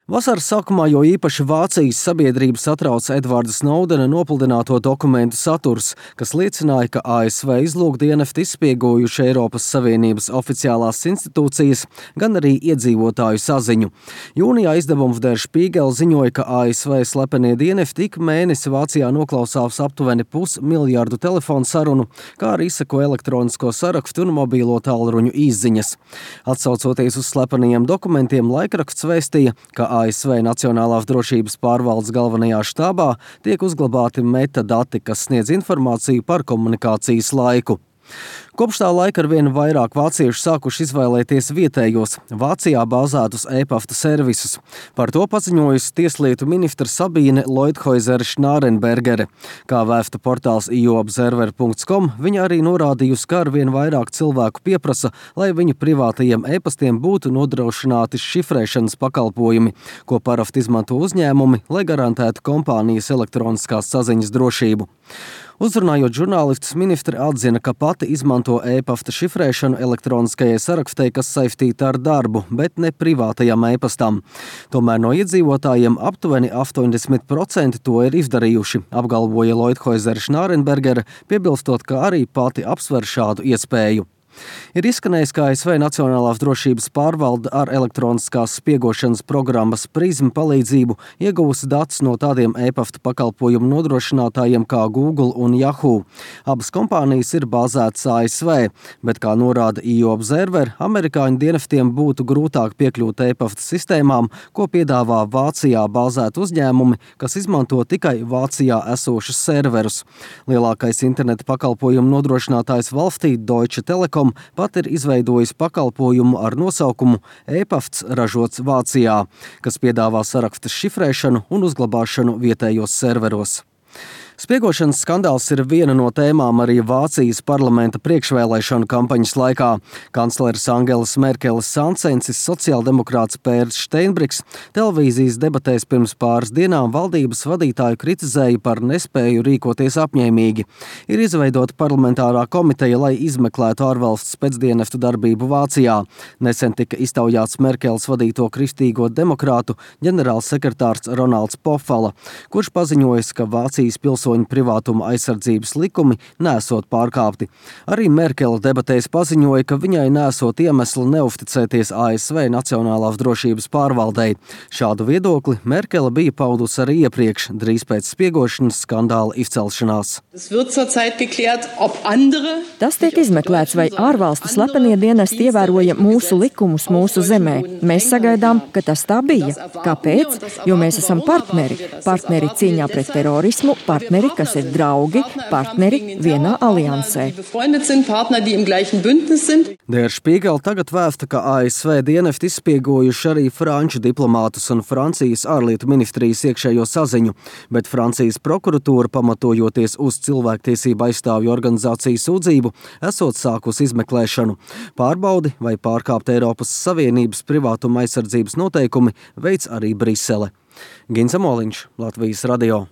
Vasaras sākumā jo īpaši Vācijas sabiedrību satrauca Edvarda Snowdena nopludināto dokumentu saturs, kas liecināja, ka ASV izlūkdienesti izspiegojuši Eiropas Savienības oficiālās institūcijas, gan arī iedzīvotāju saziņu. Jūnijā izdevums Der Spiegel ziņoja, ka ASV slepenie dienesti ik mēnesi Vācijā noklausās aptuveni 500 miljārdu telefonu sarunu, kā arī izseko elektronisko sarakstu un mobīlo tālruņu izziņas. Atsaucoties uz slepenajiem dokumentiem, laikraksts vēstīja, ka ASV Nacionālās drošības pārvaldes galvenajā štābā tiek uzglabāti metadati, kas sniedz informāciju par komunikācijas laiku. Kopš tā laika arvien vairāk vāciešu sākuši izvēlēties vietējos, Vācijā bāzētus e-pasta servisus. Par to paziņojusi tieslietu ministra Sabīne Leuthäuser-Schnarrenbergere. Kā vēsta portāls ioobserver.com, viņa arī norādījusi, ka arvien vairāk cilvēku pieprasa, lai viņu privātajiem e-pastiem būtu nodrošināti šifrēšanas pakalpojumi, ko parasti izmanto uzņēmumi, lai garantētu kompānijas elektroniskās saziņas drošību. Uzrunājot žurnālistus, ministre atzina, ka pati izmanto e-pasta šifrēšanu elektroniskajai sarakstei, kas saistīta ar darbu, bet ne privātajam e-pastam. Tomēr no iedzīvotājiem aptuveni 80% to ir izdarījuši, apgalvoja Leuthäuser-Schnarrenbergere, piebilstot, ka arī pati apsver šādu iespēju. Ir izskanējis, ka ASV Nacionālās drošības pārvalde ar elektroniskās spiegošanas programmas PRISM palīdzību ieguvusi datus no tādiem e-pasta pakalpojumu nodrošinātājiem kā Google un Yahoo. Abas kompānijas ir bāzētas ASV, bet, kā norāda ioobserver, amerikāņu dienestiem būtu grūtāk piekļūt e-pasta sistēmām, ko piedāvā Vācijā bāzēti uzņēmumi, kas izmanto tikai Vācijā esošus serverus. Lielākais interneta pakalpojumu nodrošinātājs valstī Deutsche Telekom pat ir izveidojis pakalpojumu ar nosaukumu e-pasts ražots Vācijā, kas piedāvā sarakstas šifrēšanu un uzglabāšanu vietējos serveros. Spiegošanas skandāls ir viena no tēmām arī Vācijas parlamenta priekšvēlēšanu kampaņas laikā. Kancleres Angelas Merkeles sancensis sociāldemokrāts Pērs Steinbriks televīzijas debatēs pirms pāris dienām valdības vadītāju kritizēja par nespēju rīkoties apņēmīgi. Ir izveidota parlamentārā komiteja, lai izmeklētu ārvalsts pēcdienestu darbību Vācijā. Nesen tika iztaujāts Merkeles vadīto kristīgo demokrātu ģenerālsekretārs Ronalds Pofala, kurš paziņojis, ka Vācijas pilsoņu privātuma aizsardzības likumi nesot pārkāpti. Arī Merkele debatēs paziņoja, ka viņai nesot iemesli neusticēties ASV Nacionālās drošības pārvaldei. Šādu viedokli Merkele bija paudusi arī iepriekš, drīz pēc spiegošanas skandāla izcelšanās. Tas tiek izmeklēts, vai ārvalstu slepenie dienesti ievēroja mūsu likumus mūsu zemē. Mēs sagaidām, ka tas tā bija. Kāpēc? Jo mēs esam partneri. Partneri cīņā pret terorismu, partneri, kas ir draugi, partneri vienā aliansē. Der Spiegel tagad vēsta, ka ASV dienesti izspiegojuši arī franču diplomātus un Francijas ārlietu ministrijas iekšējo saziņu, bet Francijas prokuratūra, pamatojoties uz cilvēktiesību aizstāvju organizāciju sūdzību, esot sākusi izmeklēšanu. Pārbaudi, vai pārkāpt Eiropas Savienības privātuma aizsardzības noteikumi, veic arī Brisele. Gins Amoliņš, Latvijas radio.